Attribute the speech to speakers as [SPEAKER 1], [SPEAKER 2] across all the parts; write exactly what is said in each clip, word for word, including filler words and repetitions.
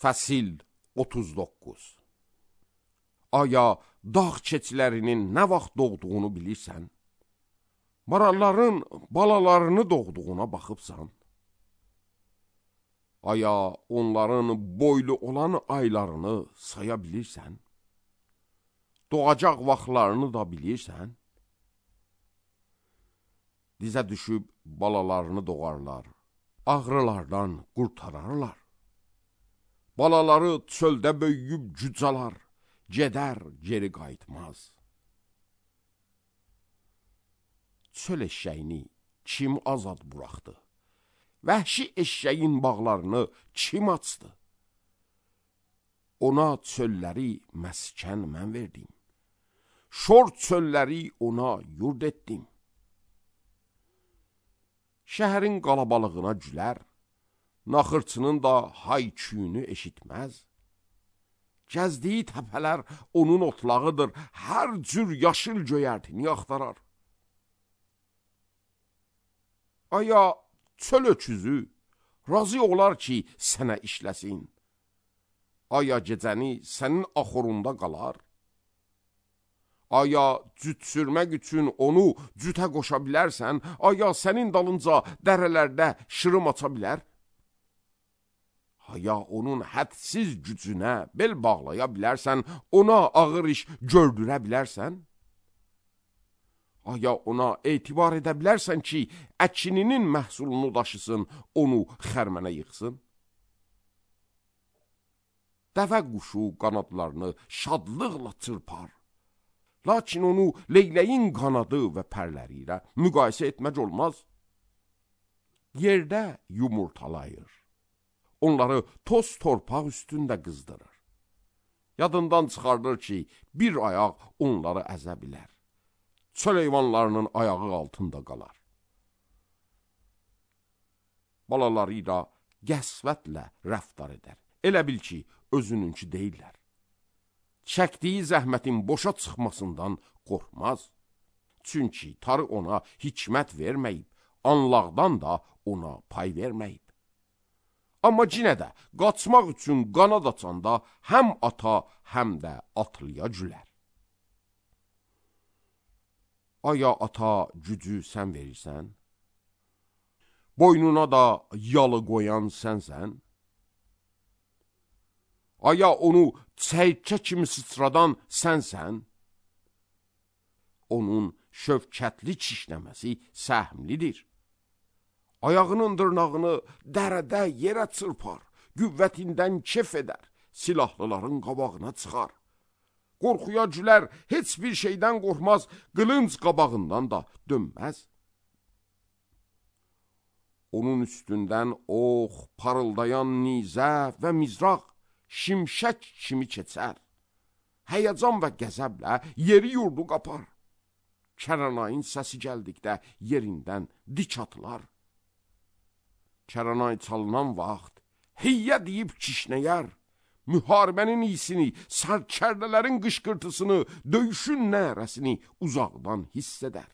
[SPEAKER 1] Fəsil otuz doqquz. Aya dağ keçilərinin nə vaxt doğduğunu bilirsən? Maralların balalarını doğduğuna baxıbsan? Aya onların boylu olan aylarını saya bilirsən? Doğacaq vaxtlarını da bilirsən? Dizə düşüb balalarını doğarlar, ağrılardan qurtararlar. Balaları çöldə böyüyüb cücalar, gedər geri qayıtmaz. Çöl eşşəyini kim azad buraxdı? Vəhşi eşşəyin bağlarını kim açdı? Ona çölləri məskən mən verdim. Şor çölləri ona yurd etdim. Şəhərin qalabalığına gülər, naxırçının da hay-küyünü eşitməz. Gəzdiyi təpələr onun otlağıdır, hər cür yaşıl göyərtini axtarar. Aya çöl öküzü razı olar ki, sənə işləsin. Aya gecəni sənin axurunda qalar. Aya cüt sürmək üçün onu cütə qoşa bilərsən, aya sənin dalınca dərələrdə şırım aça bilər. Aya onun hədsiz gücünə bel bağlaya bilərsən, ona ağır iş gördürə bilərsən. Aya ona etibar edə bilərsən ki, əkininin məhsulunu daşısın, onu xərmənə yıxsın. Dəvə quşu qanadlarını şadlıqla çırpar. Lakin onu leyləyin qanadı və pərləri ilə müqayisə etmək olmaz. Yerdə yumurtalayır. Onları toz torpaq üstündə qızdırır. Yadından çıxardır ki, bir ayaq onları əzə bilər. Çöl heyvanlarının ayağı altında qalar. Balaları ilə qəsvətlə rəftar edər. Elə bil ki, özününki deyirlər. Çəkdiyi zəhmətin boşa çıxmasından qorxmaz. Çünki tarı ona hikmət verməyib, anlaqdan da ona pay verməyib. Amma cinə də qaçmaq üçün qanad açanda həm ata, həm də atlıya gülər. Aya ata gücü sən verirsən? Boynuna da yalı qoyan sənsən? Aya onu çəykə kimi sıçradan sənsən? Onun şövkətli çişləməsi səhmlidir. Ayağının dırnağını dərədə yerə çırpar, qüvvətindən kef edər, silahlıların qabağına çıxar. Qorxuya gülər, heç bir şeydən qorxmaz, qılınc qabağından da dönməz. Onun üstündən ox, parıldayan nizə və mizraq, şimşək kimi keçər. Həyəcan və qəzəblə yeri yurdu qapar. Kəranayın səsi gəldikdə yerindən dik atılar. Kəranay çalınan vaxt hiyyə deyib kişnəyər. Müharibənin iyisini, sərkərdələrin qışqırtısını, döyüşün nərəsini uzaqdan hiss edər.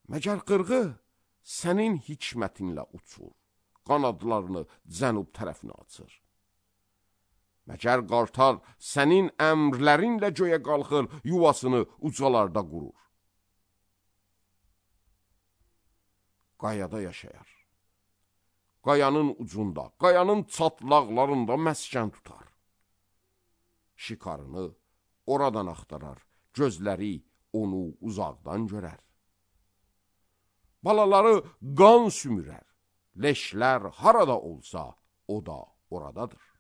[SPEAKER 1] Məgər qırğı sənin hikmətinlə uçur, qanadlarını cənub tərəfinə açır. Məgər qartal sənin əmrlərinlə göyə qalxır, yuvasını ucalarda qurur. Qayada yaşayar. Qayanın ucunda, qayanın çatlaqlarında məskən tutar. Şikarını oradan axtarar, gözləri onu uzaqdan görər. Balaları qan sümürər, leşlər harada olsa o da oradadır.